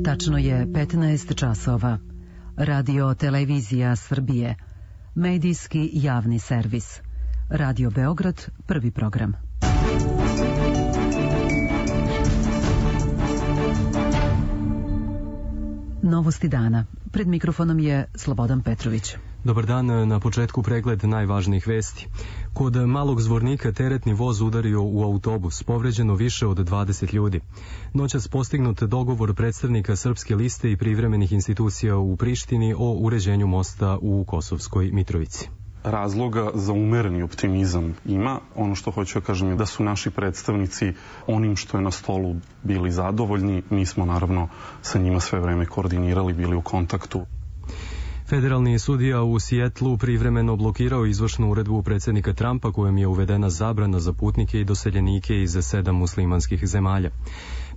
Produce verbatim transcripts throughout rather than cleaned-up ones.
Tačno je petnaest časova. Radio Televizija Srbije. Medijski javni servis. Radio Beograd, prvi program. Novosti dana. Pred mikrofonom je Slobodan Petrović. Dobar dan, na početku pregled najvažnijih vesti. Kod Malog Zvornika teretni voz udario u autobus, povređeno više od dvadeset ljudi. Noćas postignut dogovor predstavnika Srpske liste i privremenih institucija u Prištini o uređenju mosta u Kosovskoj Mitrovici. Razloga za umereni optimizam ima. Ono što hoću da kažem je da su naši predstavnici onim što je na stolu bili zadovoljni. Mi smo naravno sa njima sve vreme koordinirali, bili u kontaktu. Federalni sudija u Sijetlu privremeno blokirao izvršnu uredbu predsjednika Trumpa kojom je uvedena zabrana za putnike i doseljenike iz sedam muslimanskih zemalja.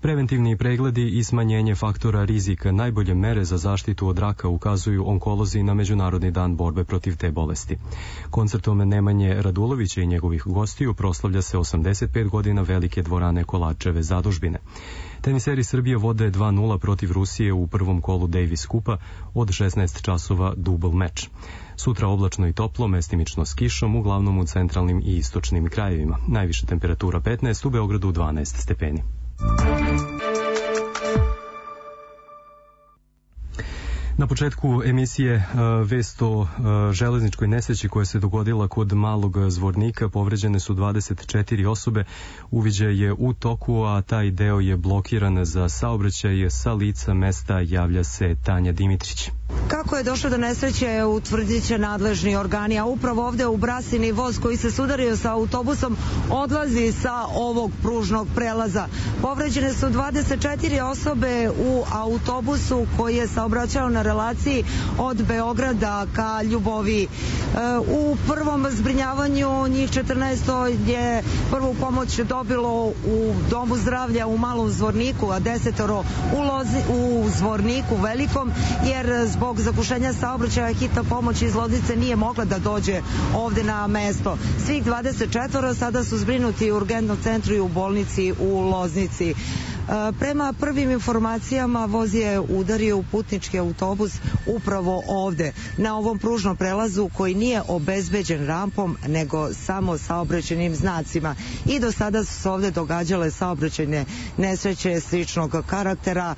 Preventivni pregledi i smanjenje faktora rizika najbolje mere za zaštitu od raka ukazuju onkolozi na Međunarodni dan borbe protiv te bolesti. Koncertom Nemanje Radulovića i njegovih gostiju proslavlja se osamdeset pet godina velike dvorane Kolačeve zadužbine. Teniseri Srbije vode dva nula protiv Rusije u prvom kolu Davis Kupa, od šesnaest časova dubl meč. Sutra oblačno i toplo, mestimično s kišom, uglavnom u centralnim i istočnim krajevima. Najviša temperatura petnaest, u Beogradu dvanaest stepeni. Na početku emisije vest o železničkoj nesreći koja se dogodila kod Malog Zvornika. Povređene su dvadeset četiri osobe. Uviđaj je u toku, a taj deo je blokiran za saobraćaj. Sa lica mesta javlja se Tanja Dimitrić. Kako je došlo do nesreće, utvrdit će nadležni organi, a upravo ovde u Brasini voz koji se sudario sa autobusom odlazi sa ovog pružnog prelaza. Povređene su dvadeset četiri osobe u autobusu koji je saobraćao na relaciji od Beograda ka Ljuboviji. U prvom zbrinjavanju njih četrnaest je prvu pomoć dobilo u Domu zdravlja u Malom Zvorniku, a desetoro u, Lozi, u Zvorniku velikom, jer zbog zagušenja saobraćaja hitna pomoć iz Loznice nije mogla da dođe ovde na mesto. Svih dvadeset četiri sada su zbrinuti u urgentnom centru i u bolnici u Loznici. Prema prvim informacijama voz je udario u putnički autobus upravo ovde, na ovom pružnom prelazu koji nije obezbeđen rampom, nego samo saobraćajnim znacima. I do sada su se ovde događale saobraćajne nesreće sličnog karaktera.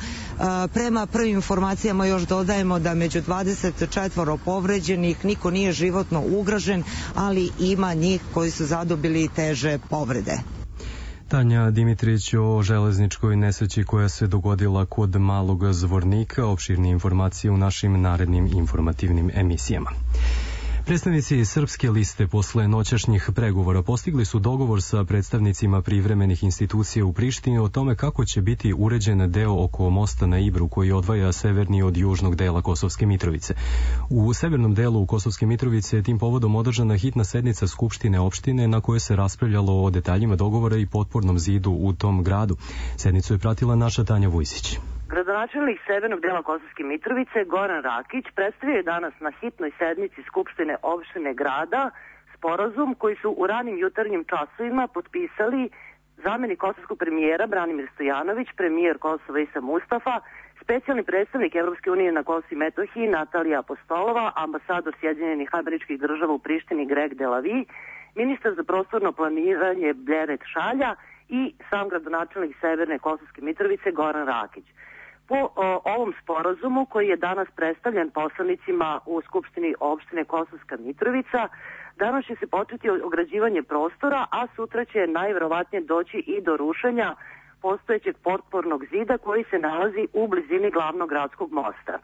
Prema prvim informacijama još dodajemo da među dvadeset četiri povređenih niko nije životno ugrožen, ali ima njih koji su zadobili teže povrede. Tanja Dimitrić o železničkoj nesreći koja se dogodila kod Malog Zvornika. Opširnije informacije u našim narednim informativnim emisijama. Predstavnici Srpske liste posle noćašnjih pregovora postigli su dogovor sa predstavnicima privremenih institucija u Prištini o tome kako će biti uređen deo oko mosta na Ibru koji odvaja severni od južnog dela Kosovske Mitrovice. U severnom delu Kosovske Mitrovice je tim povodom održana hitna sednica Skupštine opštine na kojoj se raspravljalo o detaljima dogovora i potpornom zidu u tom gradu. Sednicu je pratila naša Tanja Vujsić. Gradonačelnik severnog dela Kosovske Mitrovice Goran Rakić predstavio je danas na hitnoj sednici Skupštine opštine grada sporazum koji su u ranim jutarnjim časovima potpisali zamenik kosovskog premijera Branimir Stojanović, premijer Kosova Isa Mustafa, specijalni predstavnik Evropske unije na Kosovu i Metohiji Natalija Apostolova, ambasador Sjedinjenih Američkih Država u Prištini Greg Delavi, ministar za prostorno planiranje Bleret Šalja i sam gradonačelnik severne Kosovske Mitrovice Goran Rakić. Po o, ovom sporazumu koji je danas predstavljen poslanicima u Skupštini opštine Kosovska Mitrovica, danas će se početi ograđivanje prostora, a sutra će najverovatnije doći i do rušenja postojećeg potpornog zida koji se nalazi u blizini glavnog gradskog mosta.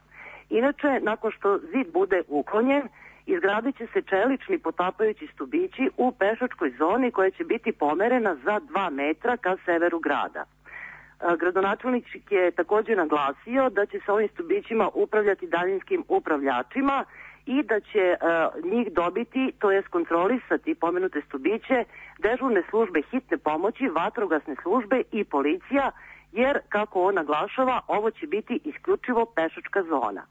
Inače, nakon što zid bude uklonjen, izgradit će se čelični potapajući stubići u pešačkoj zoni koja će biti pomerena za dva metra ka severu grada. Gradonačelnik je također naglasio da će se ovim stubićima upravljati daljinskim upravljačima i da će uh, njih dobiti, to jest kontrolisati pomenute stubiće, dežurne službe hitne pomoći, vatrogasne službe i policija, jer, kako on naglašava, ovo će biti isključivo pešačka zona.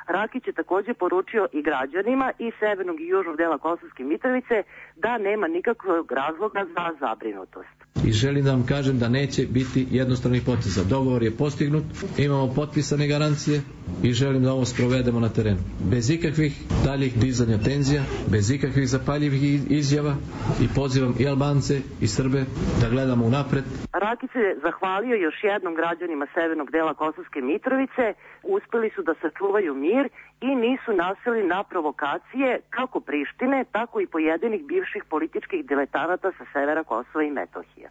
Rakić je također poručio i građanima i severnog i južnog dela Kosovske Mitrovice da nema nikakvog razloga za zabrinutost. I želim da vam kažem da neće biti jednostranih poteza. Dogovor je postignut, imamo potpisane garancije i želim da ovo sprovedemo na terenu. Bez ikakvih daljih dizanja tenzija, bez ikakvih zapaljivih izjava i pozivam i Albance i Srbe da gledamo unapred. Rakić se zahvalio još jednom građanima severnog dela Kosovske Mitrovice, uspeli su da sačuvaju mir i nisu naseli na provokacije kako Prištine, tako i pojedinih bivših političkih diletanata sa severa Kosova i Metohije.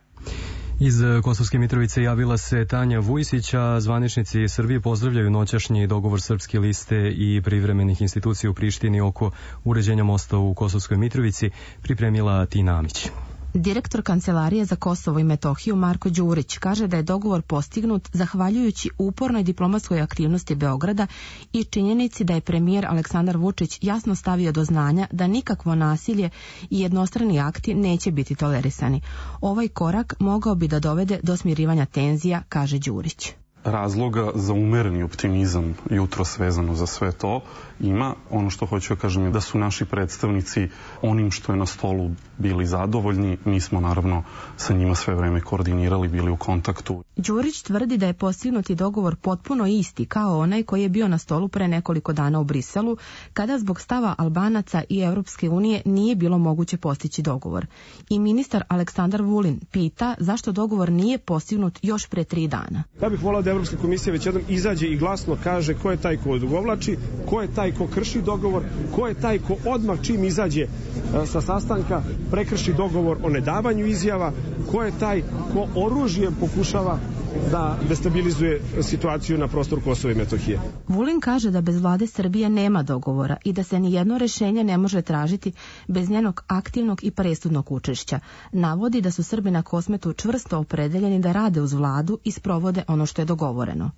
Iz Kosovske Mitrovice javila se Tanja Vujsića. Zvaničnici Srbije pozdravljaju noćašnji dogovor Srpske liste i privremenih institucija u Prištini oko uređenja mosta u Kosovskoj Mitrovici, pripremila Tina Amić. Direktor Kancelarije za Kosovo i Metohiju Marko Đurić kaže da je dogovor postignut zahvaljujući upornoj diplomatskoj aktivnosti Beograda i činjenici da je premijer Aleksandar Vučić jasno stavio do znanja da nikakvo nasilje i jednostrani akti neće biti tolerisani. Ovaj korak mogao bi da dovede do smirivanja tenzija, kaže Đurić. Razloga za umereni optimizam jutros vezano za sve to ima. Ono što hoću da kažem je da su naši predstavnici onim što je na stolu bili zadovoljni. Mi smo naravno sa njima sve vreme koordinirali, bili u kontaktu. Đurić tvrdi da je postignuti dogovor potpuno isti kao onaj koji je bio na stolu pre nekoliko dana u Briselu, kada zbog stava Albanaca i Europske unije nije bilo moguće postići dogovor. I ministar Aleksandar Vulin pita zašto dogovor nije postignut još pre tri dana. Ja bih volao da Evropska komisija već jednom izađe i glasno kaže ko je taj ko odugovlači, ko je taj ko krši dogovor, ko je taj ko odmah čim izađe sa sastanka prekrši dogovor o nedavanju izjava, ko je taj ko oružjem pokušava da destabilizuje situaciju na prostoru Kosova i Metohije. Vulin kaže da bez vlade Srbije nema dogovora i da se ni jedno rešenje ne može tražiti bez njenog aktivnog i presudnog učešća. Navodi da su Srbi na Kosmetu čvrsto opredeljeni da rade uz vladu i sprovode ono što je dogovoreno.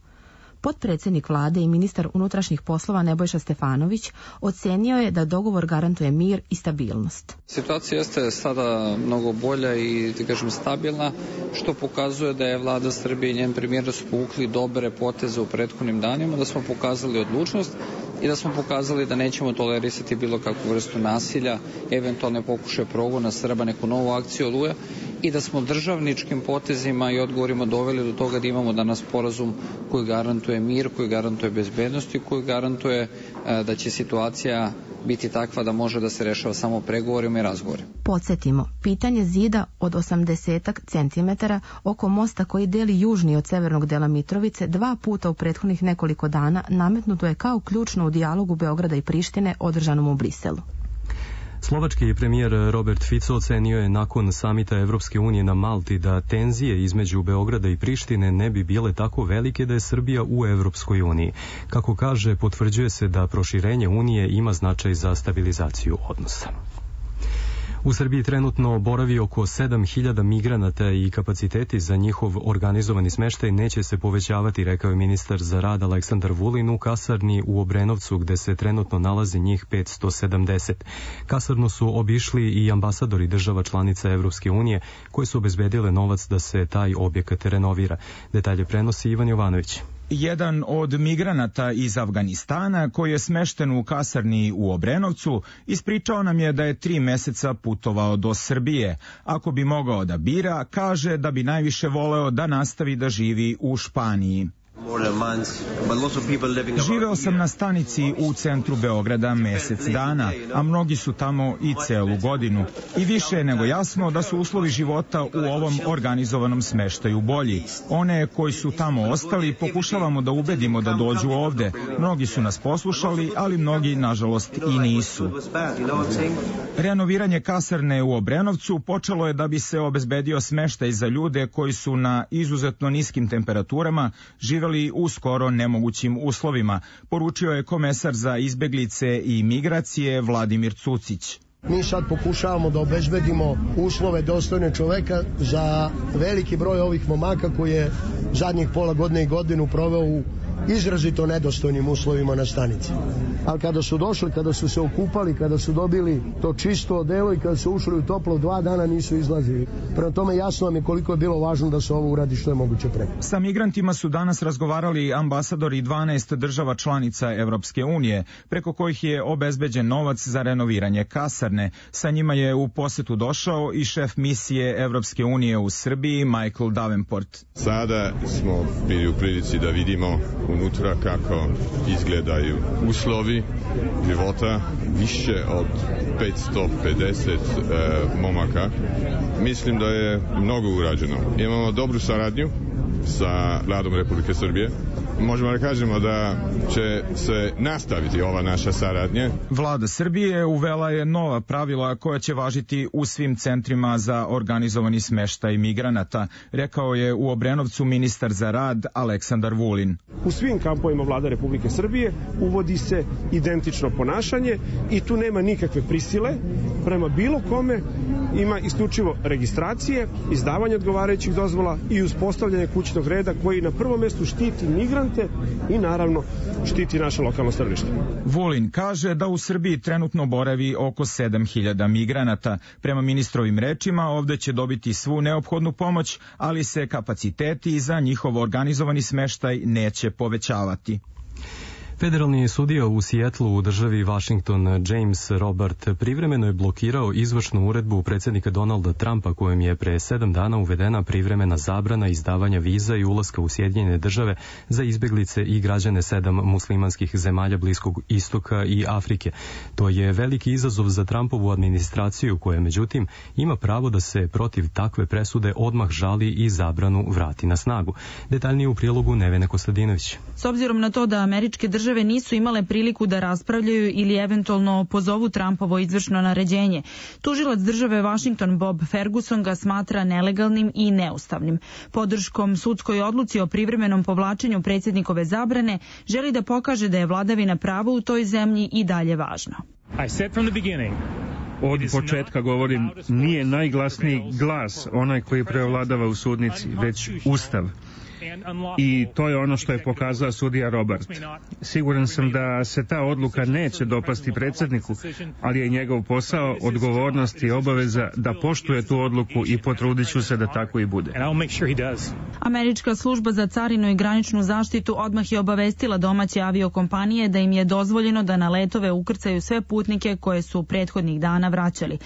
Potpredsjednik vlade i ministar unutrašnjih poslova Nebojša Stefanović ocenio je da dogovor garantuje mir i stabilnost. Situacija jeste sada mnogo bolja i, da kažem, stabilna, što pokazuje da je vlada Srbije i njen premijer da su povukli dobre poteze u prethodnim danima, da smo pokazali odlučnost i da smo pokazali da nećemo tolerisati bilo kakvu vrstu nasilja, eventualne pokušaje progona Srba, neku novu akciju Oluja, i da smo državničkim potezima i odgovorima doveli do toga da imamo danas sporazum koji garantuje mir, koji garantuje bezbednost i koji garantuje da će situacija biti takva da može da se rešava samo pregovorima i razgovorima. Podsjetimo, pitanje zida od osamdeset centimetara oko mosta koji deli južni od severnog dela Mitrovice dva puta u prethodnih nekoliko dana nametnuto je kao ključno u dijalogu Beograda i Prištine održanom u Briselu. Slovački premijer Robert Fico ocenio je nakon samita Evropske unije na Malti da tenzije između Beograda i Prištine ne bi bile tako velike da je Srbija u Evropskoj uniji. Kako kaže, potvrđuje se da proširenje unije ima značaj za stabilizaciju odnosa. U Srbiji trenutno boravi oko sedam hiljada migranata i kapaciteti za njihov organizovani smeštaj neće se povećavati, rekao je ministar za rad Aleksandar Vulin u kasarni u Obrenovcu, gde se trenutno nalazi njih petsto sedamdeset. Kasarnu su obišli i ambasadori država članica Evropske unije, koje su obezbedile novac da se taj objekat renovira. Detalje prenosi Ivan Jovanović. Jedan od migranata iz Afganistana, koji je smešten u kasarni u Obrenovcu, ispričao nam je da je tri meseca putovao do Srbije. Ako bi mogao da bira, kaže da bi najviše voleo da nastavi da živi u Španiji. Živeo sam na stanici u centru Beograda mesec dana, a mnogi su tamo i celu godinu. I više je nego jasno da su uslovi života u ovom organizovanom smeštaju bolji. One koji su tamo ostali pokušavamo da ubedimo da dođu ovde. Mnogi su nas poslušali, ali mnogi, nažalost, i nisu. Renoviranje kasarne u Obrenovcu počelo je da bi se obezbedio smeštaj za ljude koji su na izuzetno niskim temperaturama živeli u skoro nemogućim uslovima, poručio je komesar za izbeglice i migracije Vladimir Cucić. Mi sad pokušavamo da obezbedimo uslove dostojne čoveka za veliki broj ovih momaka koji je zadnjih pola godine i godinu proveo u izrazito nedostojnim uslovima na stanici. Ali kada su došli, kada su se okupali, kada su dobili to čisto odelo i kada su ušli u toplo, dva dana nisu izlazili. Prema tome jasno vam je koliko je bilo važno da se ovo uradi što je moguće pre. Sa migrantima su danas razgovarali ambasadori dvanaest država članica Evropske unije, preko kojih je obezbeđen novac za renoviranje kasarne. Sa njima je u posetu došao i šef misije Evropske unije u Srbiji, Michael Davenport. Sada smo bili u prilici da vidimo unutra kako izgledaju uslovi života, više od petsto pedeset e, momaka. Mislim da je mnogo urađeno. Imamo dobru saradnju sa vladom Republike Srbije. Možemo da kažemo da će se nastaviti ova naša saradnja. Vlada Srbije uvela je nova pravila koja će važiti u svim centrima za organizovani smeštaj migranata, rekao je u Obrenovcu ministar za rad Aleksandar Vulin. U svim kampovima Vlada Republike Srbije uvodi se identično ponašanje i tu nema nikakve prisile prema bilo kome, ima isključivo registracije, izdavanje odgovarajućih dozvola i uspostavljanje kućnog reda koji na prvom mestu štiti migrante i naravno štiti naše lokalno stanovništvo. Vulin kaže da u Srbiji trenutno boravi oko sedam hiljada migranata. Prema ministrovim rečima ovde će dobiti svu neophodnu pomoć, ali se kapaciteti za njihov organizovani smeštaj neće povećavati. Federalni sudija u Sijetlu u državi Washington James Robert privremeno je blokirao izvršnu uredbu predsjednika Donalda Trumpa kojom je pre sedam dana uvedena privremena zabrana izdavanja viza i ulaska u Sjedinjene države za izbjeglice i građane sedam muslimanskih zemalja Bliskog istoka i Afrike. To je veliki izazov za Trumpovu administraciju koja međutim ima pravo da se protiv takve presude odmah žali i zabranu vrati na snagu. Detaljnije u prilogu Nevene Kostadinović. S obzirom na to da američke države Države nisu imale priliku da raspravljaju ili eventualno pozovu Trumpovo izvršno naređenje. Tužilac države Washington Bob Ferguson ga smatra nelegalnim i neustavnim. Podrškom sudskoj odluci o privremenom povlačenju predsjednikove zabrane želi da pokaže da je vladavina prava u toj zemlji i dalje važna. Od početka govorim, nije najglasniji glas onaj koji preovladava u sudnici, već Ustav. I to je ono što je pokazao sudija Robert. Siguran sam da se ta odluka neće dopasti predsjedniku, ali je njegov posao, odgovornost i obaveza da poštuje tu odluku i potrudit ću se da tako i bude. Američka služba za carinu i graničnu zaštitu odmah je obavestila domaće aviokompanije da im je dozvoljeno da na letove ukrcaju sve putnike koje su prethodnih dana vraćali.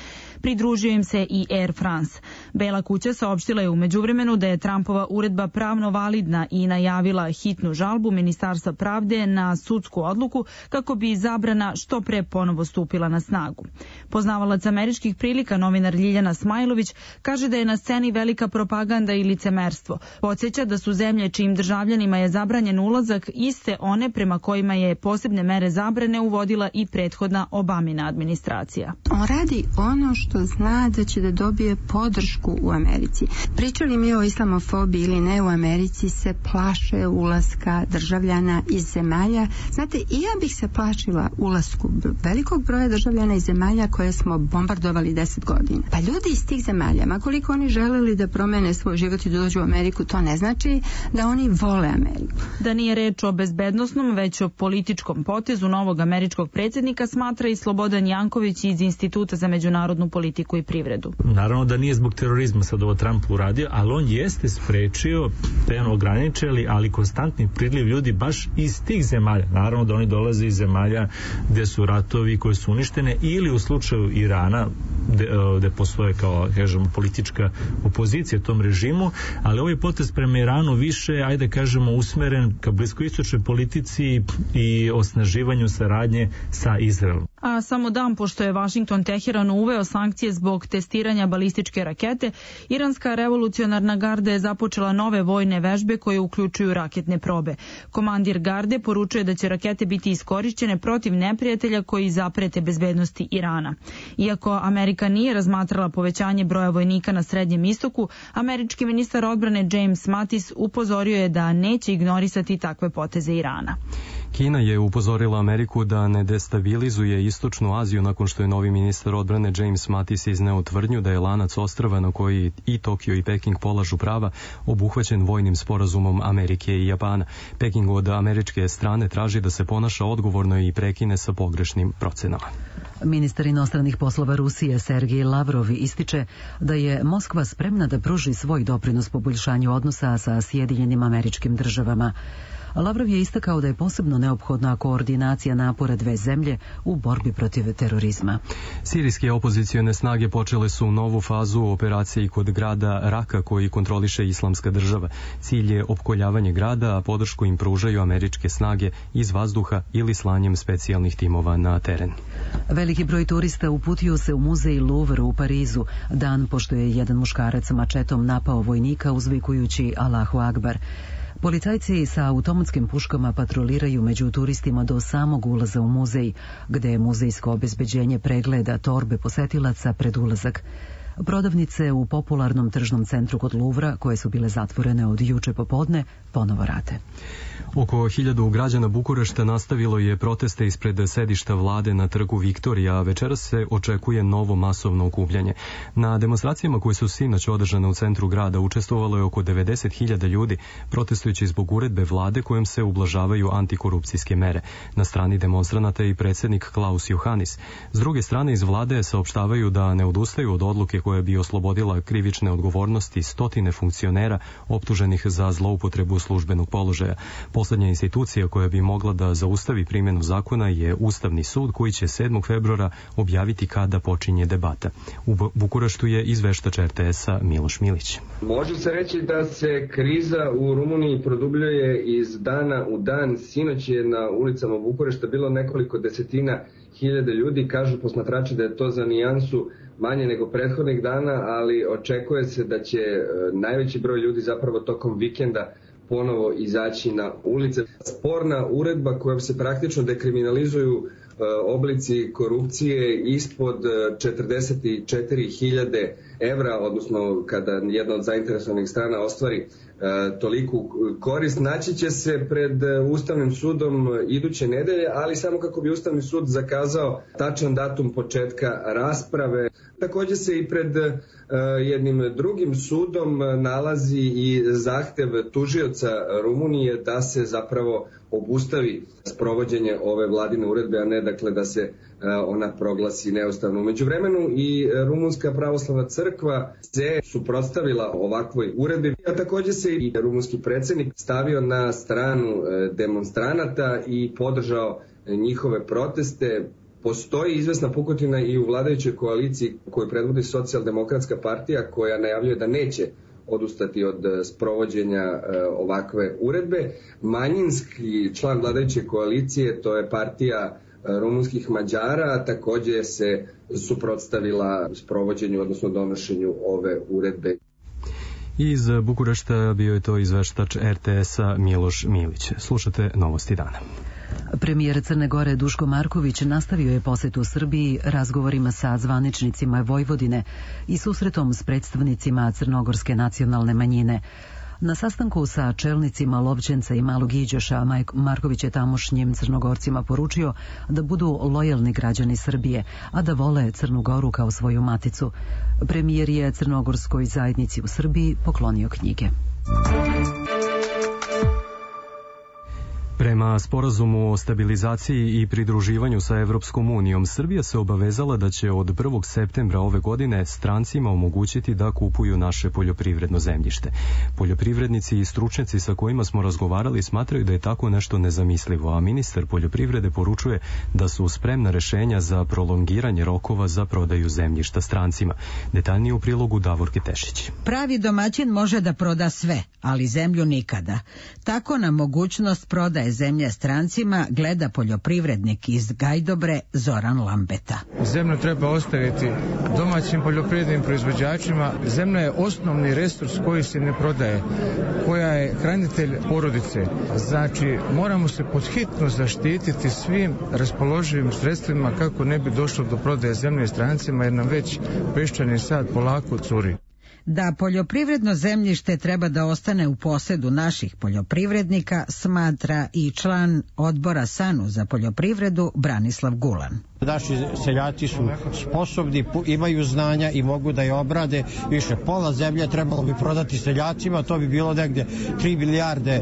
Pridružio im se i Air France. Bela kuća saopštila je u međuvremenu da je Trumpova uredba pravno validna i najavila hitnu žalbu Ministarstva pravde na sudsku odluku kako bi zabrana što pre ponovo stupila na snagu. Poznavalac američkih prilika, novinar Ljiljana Smajlović, kaže da je na sceni velika propaganda i licemerstvo. Podsjeća da su zemlje čijim državljanima je zabranjen ulazak iste one prema kojima je posebne mere zabrane uvodila i prethodna Obamina administracija. On radi ono što zna da će da dobije podršku u Americi. Pričali mi o islamofobiji ili ne, u Americi se plaše ulaska državljana iz zemalja. Znate, i ja bih se plašila ulasku velikog broja državljana iz zemalja koje smo bombardovali deset godina. Pa ljudi iz tih zemalja, ma koliko oni želeli da promene svoj život i da dođu u Ameriku, to ne znači da oni vole Ameriku. Da nije reč o bezbednosnom, već o političkom potezu novog američkog predsjednika, smatra i Slobodan Janković iz Instituta za međunarodnu politiku i privredu. Naravno da nije zbog terorizma sad ovo Trump uradio, ali on jeste sprečio, te on ograničili, ali konstantni priliv ljudi baš iz tih zemalja. Naravno da oni dolaze iz zemalja gde su ratovi koje su uništene ili u slučaju Irana gde, gde postoje kao, kažemo, politička opozicija tom režimu, ali ovaj potez prema Iranu više, ajde kažemo, usmeren ka bliskoistočnoj politici i osnaživanju saradnje sa Izraelom. A samo dan pošto je Washington Teheranu uveo sankcije zbog testiranja balističke rakete, iranska revolucionarna garda je započela nove vojne vežbe koje uključuju raketne probe. Komandir garde poručuje da će rakete biti iskorišćene protiv neprijatelja koji zaprete bezbednosti Irana. Iako Amerika nije razmatrala povećanje broja vojnika na Srednjem istoku, američki ministar odbrane James Mattis upozorio je da neće ignorisati takve poteze Irana. Kina je upozorila Ameriku da ne destabilizuje Istočnu Aziju nakon što je novi ministar odbrane James Mattis izneo tvrdnju da je lanac ostrva na koji i Tokio i Peking polažu prava obuhvaćen vojnim sporazumom Amerike i Japana. Peking od američke strane traži da se ponaša odgovorno i prekine sa pogrešnim procenama. Ministar inostranih poslova Rusije Sergej Lavrov ističe da je Moskva spremna da pruži svoj doprinos poboljšanju odnosa sa Sjedinjenim Američkim Državama. Lavrov je istakao da je posebno neophodna koordinacija napora dve zemlje u borbi protiv terorizma. Sirijske opozicione snage počele su novu fazu u operaciji kod grada Raka koji kontroliše Islamska država. Cilj je opkoljavanje grada, a podršku im pružaju američke snage iz vazduha ili slanjem specijalnih timova na teren. Veliki broj turista uputio se u muzej Louvre u Parizu, dan pošto je jedan muškarac mačetom napao vojnika uzvikujući Allahu Akbar. Policajci sa automatskim puškama patroliraju među turistima do samog ulaza u muzej, gde je muzejsko obezbeđenje pregleda torbe posetilaca pred ulazak. Prodavnice u popularnom tržnom centru kod Luvra, koje su bile zatvorene od juče popodne, ponovo rade. Oko hiljadu građana Bukurešta nastavilo je proteste ispred sedišta vlade na trgu Viktorija, a večeras se očekuje novo masovno okupljanje. Na demonstracijama koje su sinoć održane u centru grada učestvovalo je oko devedeset hiljada ljudi, protestujući zbog uredbe vlade kojom se ublažavaju antikorupcijske mere. Na strani demonstranata je i predsjednik Klaus Johannis. S druge strane, iz vlade saopštavaju da ne odustaju od odluke koja bi oslobodila krivične odgovornosti stotine funkcionera optuženih za zloupotrebu službenog položaja. Poslednja institucija koja bi mogla da zaustavi primjenu zakona je Ustavni sud koji će sedmog februara objaviti kada počinje debata. U Bukureštu je izveštač er te esa Miloš Milić. Može se reći da se kriza u Rumuniji produbljuje iz dana u dan. Sinoć je na ulicama Bukurešta bilo nekoliko desetina hiljada ljudi. Kažu posmatrači da je to za nijansu manje nego prethodnih dana, ali očekuje se da će najveći broj ljudi zapravo tokom vikenda ponovo izaći na ulice. Sporna uredba kojom se praktično dekriminalizuju oblici korupcije ispod četrdeset četiri hiljade evra, odnosno kada jedna od zainteresovanih strana ostvari toliku korist, naći će se pred Ustavnim sudom iduće nedelje, ali samo kako bi Ustavni sud zakazao tačan datum početka rasprave. Također se i pred jednim drugim sudom nalazi i zahtev tužioca Rumunije da se zapravo obustavi sprovođenje ove vladine uredbe, a ne dakle da se ona proglasi neustavno. U međuvremenu i Rumunska pravoslavna crkva se suprotstavila ovakvoj uredbi, a također se i rumunski predsjednik stavio na stranu demonstranata i podržao njihove proteste. Postoji izvesna pukotina i u vladajućoj koaliciji koju predvodi Socijaldemokratska partija koja najavljuje da neće odustati od sprovođenja ovakve uredbe. Manjinski član vladajuće koalicije, to je partija rumunskih Mađara, također se suprotstavila sprovođenju, odnosno donošenju ove uredbe. Iz Bukurešta bio je to izveštač er te esa Miloš Milić. Slušate Novosti dana. Premijer Crne Gore Duško Marković nastavio je posetu Srbiji razgovorima sa zvaničnicima Vojvodine i susretom s predstavnicima crnogorske nacionalne manjine. Na sastanku sa čelnicima Lovćenca i Malog Iđoša Marković je tamošnjim Crnogorcima poručio da budu lojalni građani Srbije, a da vole Crnu Goru kao svoju maticu. Premijer je crnogorskoj zajednici u Srbiji poklonio knjige. Prema sporazumu o stabilizaciji i pridruživanju sa Evropskom unijom, Srbija se obavezala da će od prvog septembra ove godine strancima omogućiti da kupuju naše poljoprivredno zemljište. Poljoprivrednici i stručnjaci sa kojima smo razgovarali smatraju da je tako nešto nezamislivo, a ministar poljoprivrede poručuje da su spremna rešenja za prolongiranje rokova za prodaju zemljišta strancima. Detaljnije u prilogu Davorke Tešić. Pravi domaćin može da proda sve, ali zemlju nikada. Tako na mogućnost prodaje zemlje strancima gleda poljoprivrednik iz Gajdobre Zoran Lambeta. Zemlju treba ostaviti domaćim poljoprivrednim proizvođačima. Zemlja je osnovni resurs koji se ne prodaje, koja je hranitelj porodice. Znači, moramo se podhitno zaštititi svim raspoloživim sredstvima kako ne bi došlo do prodaje zemlje strancima, jer nam već peščani sad polako curi. Da poljoprivredno zemljište treba da ostane u posedu naših poljoprivrednika, smatra i član odbora SANU za poljoprivredu Branislav Gulan. Naši seljaci su sposobni, imaju znanja i mogu da je obrade. Više pola zemlje trebalo bi prodati seljacima, to bi bilo negde tri milijarde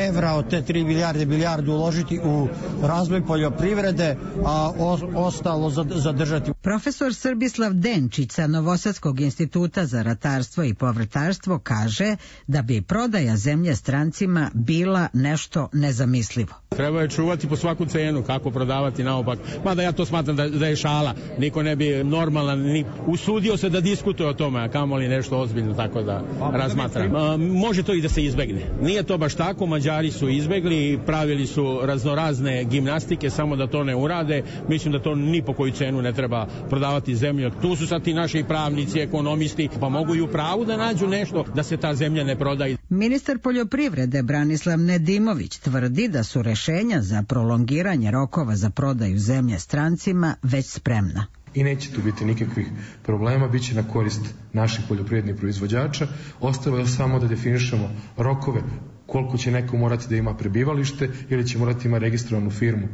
evra, od te tri milijarde milijardu uložiti u razvoj poljoprivrede, a o, ostalo zadržati. Profesor Srbislav Denčić sa Novosadskog instituta za ratarstvo i povrtarstvo kaže da bi prodaja zemlje strancima bila nešto nezamislivo. Treba je čuvati po svaku cenu, kako prodavati naopak. Mada ja to smatram da, da je šala. Niko ne bi normalan, ni usudio se da diskutuje o tome, a kamoli nešto ozbiljno tako da razmatram. A, može to i da se izbegne. Nije to baš tako, Mađari su izbegli i pravili su raznorazne gimnastike samo da to ne urade. Mislim da to ni po koju cenu ne treba prodavati zemlju. Tu su sad ti naši pravnici, ekonomisti, pa mogu i u pravu da nađu nešto da se ta zemlja ne prodaje. Ministar poljoprivrede Branislav Nedimović tvrdi da su rešenja za prolongiranje rokova za prodaju zemlje strancima već spremna. I neće tu biti nikakvih problema, bit će na korist naših poljoprivrednih proizvođača. Ostalo je samo da definišemo rokove, koliko će neko morati da ima prebivalište ili će morati ima registrovanu firmu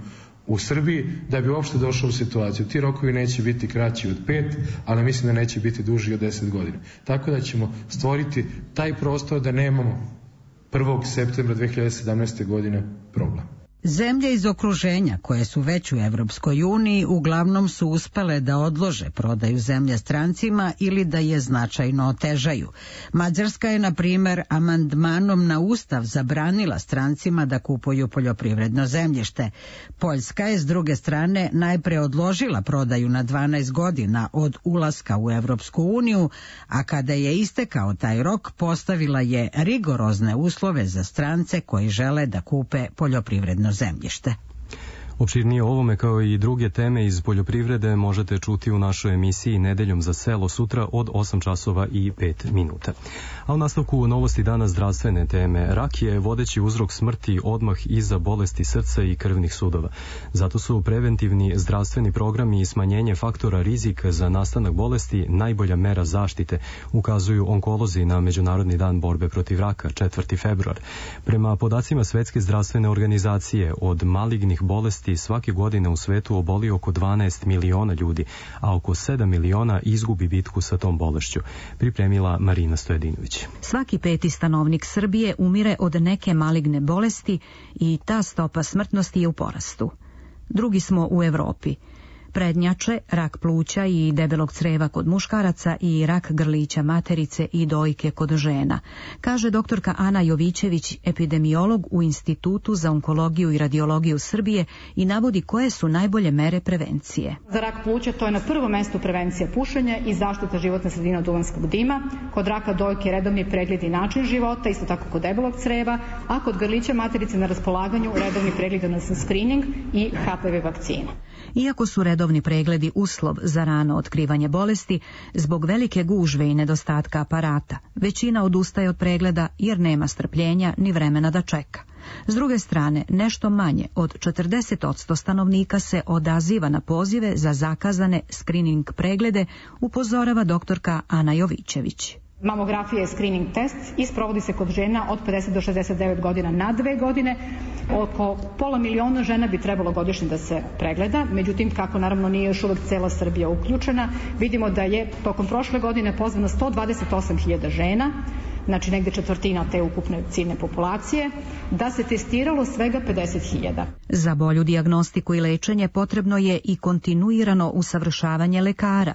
u Srbiji da bi uopšte došao u situaciju. Ti rokovi neće biti kraći od pet, ali mislim da neće biti duži od deset godina. Tako da ćemo stvoriti taj prostor da nemamo prvog septembra dve hiljade sedamnaeste. godine problem. Zemlje iz okruženja koje su već u Evropskoj uniji uglavnom su uspele da odlože prodaju zemlje strancima ili da je značajno otežaju. Mađarska je, na primjer, amandmanom na Ustav zabranila strancima da kupuju poljoprivredno zemljište. Poljska je, s druge strane, najpre odložila prodaju na dvanaest godina od ulaska u Evropsku uniju, a kada je istekao taj rok, postavila je rigorozne uslove za strance koji žele da kupe poljoprivredno zemljište. Opširnije o ovome kao i druge teme iz poljoprivrede možete čuti u našoj emisiji Nedeljom za selo sutra od osam časova i pet minuta. A u nastavku novosti dana zdravstvene teme. Rak je vodeći uzrok smrti odmah iza bolesti srca i krvnih sudova. Zato su preventivni zdravstveni programi i smanjenje faktora rizika za nastanak bolesti najbolja mera zaštite, ukazuju onkolozi na Međunarodni dan borbe protiv raka, četvrti februar. Prema podacima Svetske zdravstvene organizacije, od malignih bolesti svake godine u svetu oboli oko dvanaest miliona ljudi, a oko sedam miliona izgubi bitku sa tom bolešću, pripremila Marina Stojadinović. Svaki peti stanovnik Srbije umire od neke maligne bolesti i ta stopa smrtnosti je u porastu. Drugi smo u Evropi. Prednjače, rak pluća i debelog creva kod muškaraca i rak grlića materice i dojke kod žena, kaže doktorka Ana Jovićević, epidemiolog u Institutu za onkologiju i radiologiju Srbije, i navodi koje su najbolje mere prevencije. Za rak pluća to je na prvom mestu prevencija pušenja i zaštita životne sredine od duvanskog dima, kod raka dojke redovni pregled i način života, isto tako kod debelog creva, a kod grlića materice na raspolaganju redovni pregled, odnosno screening i H P V vakcina. Iako su redovni pregledi uslov za rano otkrivanje bolesti, zbog velike gužve i nedostatka aparata, većina odustaje od pregleda jer nema strpljenja ni vremena da čeka. S druge strane, nešto manje od četrdeset posto stanovnika se odaziva na pozive za zakazane screening preglede, upozorava doktorka Ana Jovićević. Mamografija je screening test i sprovodi se kod žena od pedeset do šezdeset devet godina na dve godine. Oko pola miliona žena bi trebalo godišnje da se pregleda, međutim, kako naravno nije još uvek cela Srbija uključena, vidimo da je tokom prošle godine pozvano sto dvadeset osam hiljada žena, znači negde četvrtina te ukupne ciljne populacije, da se testiralo svega pedeset hiljada. Za bolju dijagnostiku i lečenje potrebno je i kontinuirano usavršavanje lekara.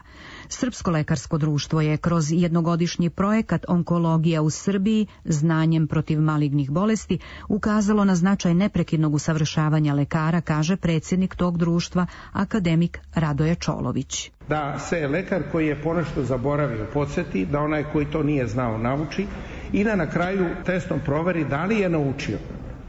Srpsko lekarsko društvo je kroz jednogodišnji projekat Onkologija u Srbiji znanjem protiv malignih bolesti ukazalo na značaj neprekidnog usavršavanja lekara, kaže predsjednik tog društva, akademik Radoje Čolović. Da se lekar koji je ponešto zaboravio podsjeti, da onaj koji to nije znao nauči i da na kraju testom proveri da li je naučio,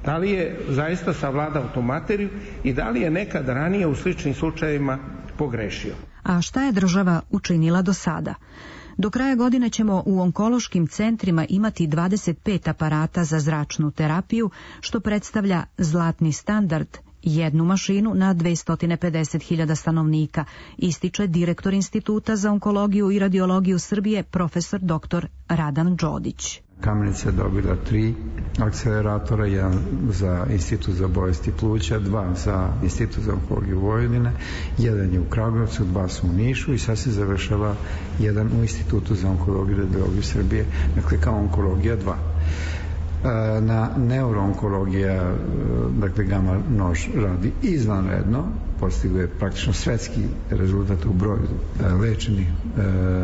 da li je zaista savladao tu materiju i da li je nekad ranije u sličnim slučajevima pogrešio. A šta je država učinila do sada? Do kraja godine ćemo u onkološkim centrima imati dvadeset pet aparata za zračnu terapiju, što predstavlja zlatni standard jednu mašinu na dvesta pedeset hiljada stanovnika, ističe direktor Instituta za onkologiju i radiologiju Srbije, profesor doktor Radan Đodić. Kamenica je dobila tri akceleratora, jedan za Institut za bolesti pluća, dva za Institut za onkologiju Vojvodine, jedan je u Kragujevcu, dva su u Nišu i sad se završava jedan u Institutu za onkologiju i radiologiju Srbije, dakle kao onkologija dva. Na neuroonkologija, dakle gama nož radi izvanredno, postigao je praktično svetski rezultat u broju lečenih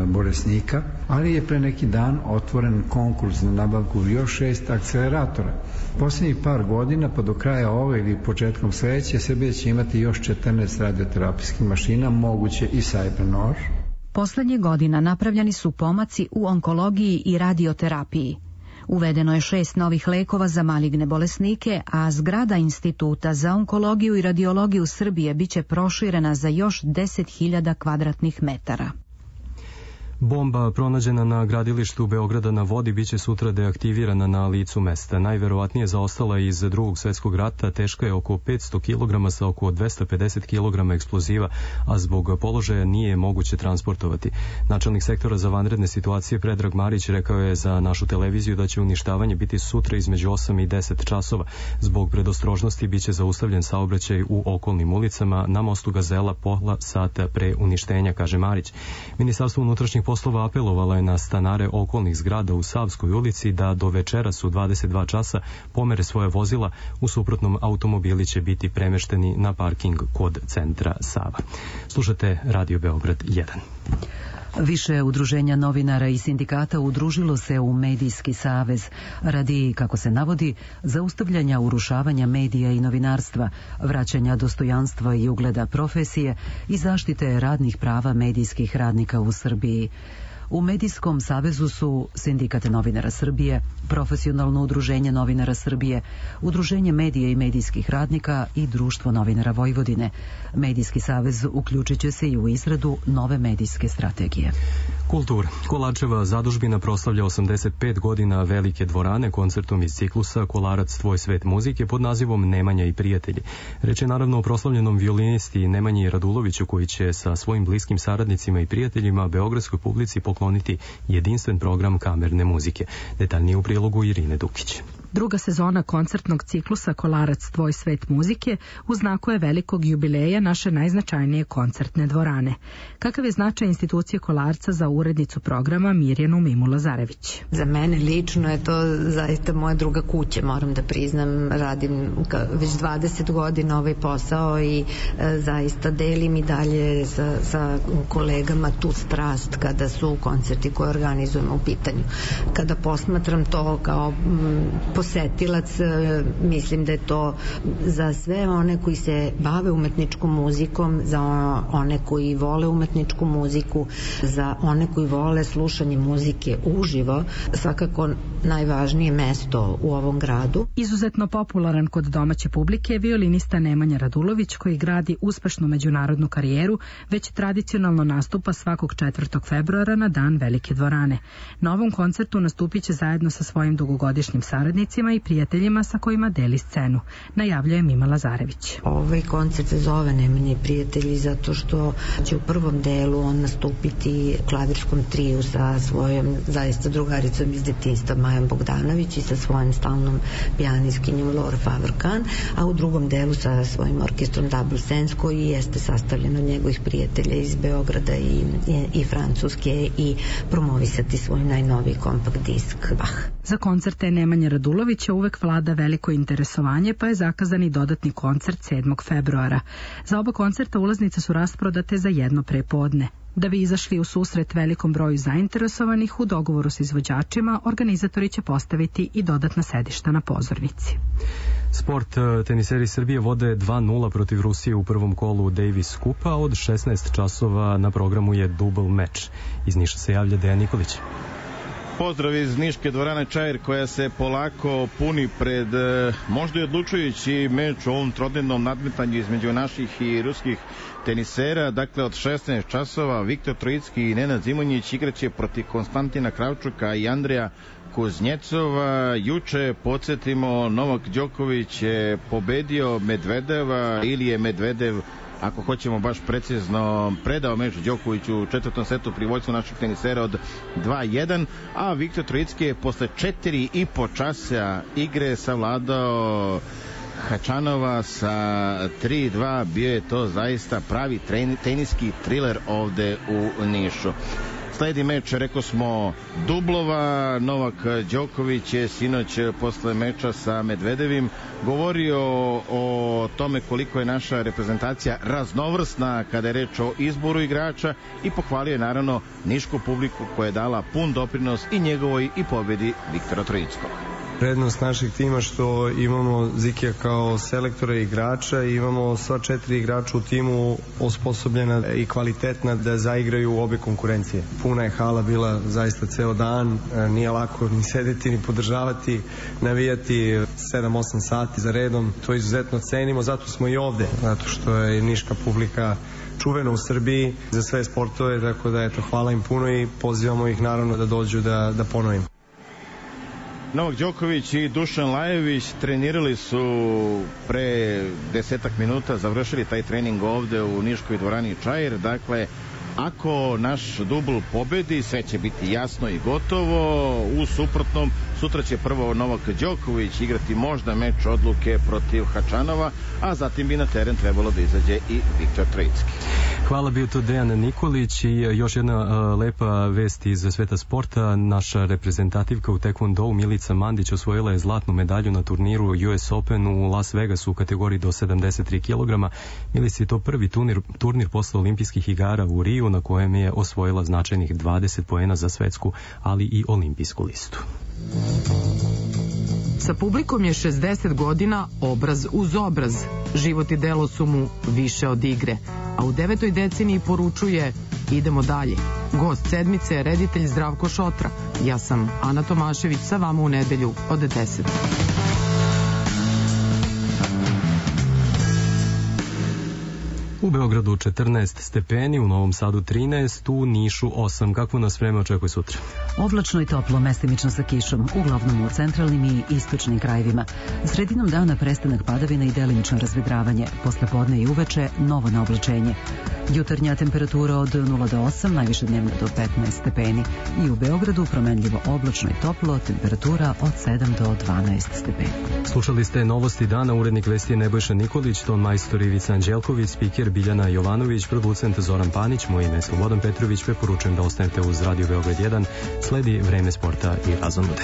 bolesnika, ali je pre neki dan otvoren konkurs na nabavku još šest akceleratora. Poslednjih par godina, pa do kraja ove ili početkom sledeće, Srbija će imati još četrnaest radioterapijskih mašina, moguće i cybernož. Poslednjih godina napravljeni su pomaci u onkologiji i radioterapiji. Uvedeno je šest novih lekova za maligne bolesnike, a zgrada Instituta za onkologiju i radiologiju Srbije biće proširena za još deset hiljada kvadratnih metara. Bomba pronađena na gradilištu Beograda na vodi biće sutra deaktivirana na licu mesta. Najverovatnije zaostala iz drugog svetskog rata, teška je oko petsto kilograma sa oko dvesta pedeset kilograma eksploziva, a zbog položaja nije moguće transportovati. Načelnik sektora za vanredne situacije Predrag Marić rekao je za našu televiziju da će uništavanje biti sutra između osam i deset časova. Zbog predostrožnosti biće zaustavljen saobraćaj u okolnim ulicama na mostu Gazela pola sata pre uništenja, kaže Marić. Ministarstvo unutrašnjih poslova apelovala je na stanare okolnih zgrada u Savskoj ulici da do večeras u dvadeset dva časa pomere svoje vozila, u suprotnom automobili će biti premešteni na parking kod centra Sava. Slušate Radio Beograd jedan. Više udruženja novinara i sindikata udružilo se u Medijski savez radi, kako se navodi, zaustavljanja urušavanja medija i novinarstva, vraćanja dostojanstva i ugleda profesije i zaštite radnih prava medijskih radnika u Srbiji. U Medijskom savezu su Sindikat novinara Srbije, Profesionalno udruženje novinara Srbije, Udruženje medija i medijskih radnika i Društvo novinara Vojvodine. Medijski savez uključit će se i u izradu nove medijske strategije. Kultura. Kolarčeva zadužbina proslavlja osamdeset pet godina velike dvorane koncertom iz ciklusa Kolarac tvoj svet muzike pod nazivom Nemanja i prijatelji. Reč je naravno o proslavljenom violinisti Nemanji Raduloviću koji će sa svojim bliskim saradnicima i prijateljima beogradskoj publici pokloniti jedinstven program kamerne muzike. Detaljnije u prilogu Irine Dukić. Druga sezona koncertnog ciklusa Kolarac tvoj svet muzike u znaku je velikog jubileja naše najznačajnije koncertne dvorane. Kakav je značaj institucije Kolarca za urednicu programa Mirjanu Mimu Lazarević? Za mene lično je to zaista moja druga kuća, moram da priznam, radim već dvadeset godina ovaj posao i e, zaista delim i dalje sa, sa kolegama tu strast kada su koncerti koje organizujemo u pitanju. Kada posmatram to kao m, posetilac, mislim da je to za sve one koji se bave umetničkom muzikom, za one koji vole umetničku muziku, za one koji vole slušanje muzike uživo, svakako najvažnije mesto u ovom gradu. Izuzetno popularan kod domaće publike je violinista Nemanja Radulović koji gradi uspešnu međunarodnu karijeru, već tradicionalno nastupa svakog četvrtog februara na dan Velike dvorane. Na ovom koncertu nastupit će zajedno sa svojim dugogodišnjim saradnicima i prijateljima sa kojima deli scenu, najavljuje Mima Lazarević. Ovaj koncert se zove Nemanja i prijatelji zato što će u prvom delu on nastupiti u klavirskom triju sa svojom zaista drugaricom iz detinjstva Majom Bogdanović i sa svojim stalnom pijaniskinjom Laura Favrkan, a u drugom delu sa svojim orkestrom Double Sense koji jeste sastavljen od njegovih prijatelja iz Beograda i, i, i Francuske i promovisati svoj najnoviji kompakt disk Bach. Za koncerte Nemanja Radulovića uvek vlada veliko interesovanje, pa je zakazan i dodatni koncert sedmog februara. Za oba koncerta ulaznice su rasprodate za jedno prepodne. Da bi izašli u susret velikom broju zainteresovanih, u dogovoru s izvođačima, organizatori će postaviti i dodatna sedišta na pozornici. Sport. Teniseri Srbije vode dva nula protiv Rusije u prvom kolu Davis Kupa. Od šesnaest časova na programu je dubl meč. Iz Niša se javlja Dejan Nikolić. Pozdrav iz Niške dvorane Čair koja se polako puni pred možda i odlučujući meč u ovom trodnevnom nadmetanju između naših i ruskih tenisera. Dakle, od šesnaest časova Viktor Trojicki i Nenad Zimonjić igraće protiv Konstantina Kravčuka i Andreja Kuznjecova. Juče, podsjetimo, Novak Đoković je pobedio Medvedeva, ili je Medvedev, ako hoćemo baš precizno, predao meč Đokoviću u četvrtom setu pri vođstvu naših tenisera od dva jedan, a Viktor Trojicki je posle četiri i po časa igre savladao Hačanova sa tri dva. Bio je to zaista pravi teniski triler ovde u Nišu. Sledi meč, rekao smo, dublova. Novak Đoković je sinoć posle meča sa Medvedevim govorio o tome koliko je naša reprezentacija raznovrsna kada je reč o izboru igrača i pohvalio je naravno nišku publiku koja je dala pun doprinos i njegovoj i pobedi Viktora Trojickog. Prednost našeg tima što imamo Zikija kao selektora i igrača i imamo sva četiri igrača u timu osposobljena i kvalitetna da zaigraju u obe konkurencije. Puna je hala bila zaista ceo dan, nije lako ni sedeti ni podržavati, navijati sedam osam sati za redom, to izuzetno cenimo, zato smo i ovde, zato što je niška publika čuvena u Srbiji za sve sportove, tako da eto, hvala im puno i pozivamo ih naravno da dođu da, da ponovim. Novak Đoković i Dušan Lajović trenirali su pre desetak minuta, završili taj trening ovde u Niškoj dvorani Čair. Dakle, ako naš dubl pobedi, sve će biti jasno i gotovo. U suprotnom, sutra će prvo Novak Đoković igrati možda meč odluke protiv Hačanova, a zatim bi na teren trebalo da izađe i Viktor Trojicki. Hvala, bio to Dejan Nikolić. I još jedna uh, lepa vest iz sveta sporta. Naša reprezentativka u tekvondou Milica Mandić osvojila je zlatnu medalju na turniru U S Open u Las Vegasu u kategoriji do sedamdeset tri kilograma. Milica je to prvi turnir, turnir posle olimpijskih igara u Riju, na kojem je osvojila značajnih dvadeset poena za svetsku, ali i olimpijsku listu. Sa publikom je šezdeset godina obraz uz obraz. Život i delo su mu više od igre. A u devetoj deceniji poručuje: idemo dalje. Gost sedmice je reditelj Zdravko Šotra. Ja sam Ana Tomašević, sa vama u nedelju od deset. U Beogradu četrnaest stepeni, u Novom Sadu trinaest, u Nišu osam. Kakvo nas vreme očekuje sutra? Oblačno i toplo, mestimično sa kišom, uglavnom u centralnim i istočnim krajevima. Sredinom dana prestanak padavina i delimično razvedravanje. Posle podne i uveče novo naoblačenje. Jutarnja temperatura od nula do osam, najviše dnevno do petnaest stepeni. I u Beogradu promenljivo oblačno i toplo, temperatura od sedam do dvanaest stepeni. Slušali ste novosti dana, urednik vesti je Nebojša Nikolić, ton majstor Ivica Anđelković, spiker Biljana Jovanović, producent Zoran Panić, moje ime je Slobodan Petrović, preporučujem da ostanete uz Radio Beograd jedan, sledi vreme sporta i razonude.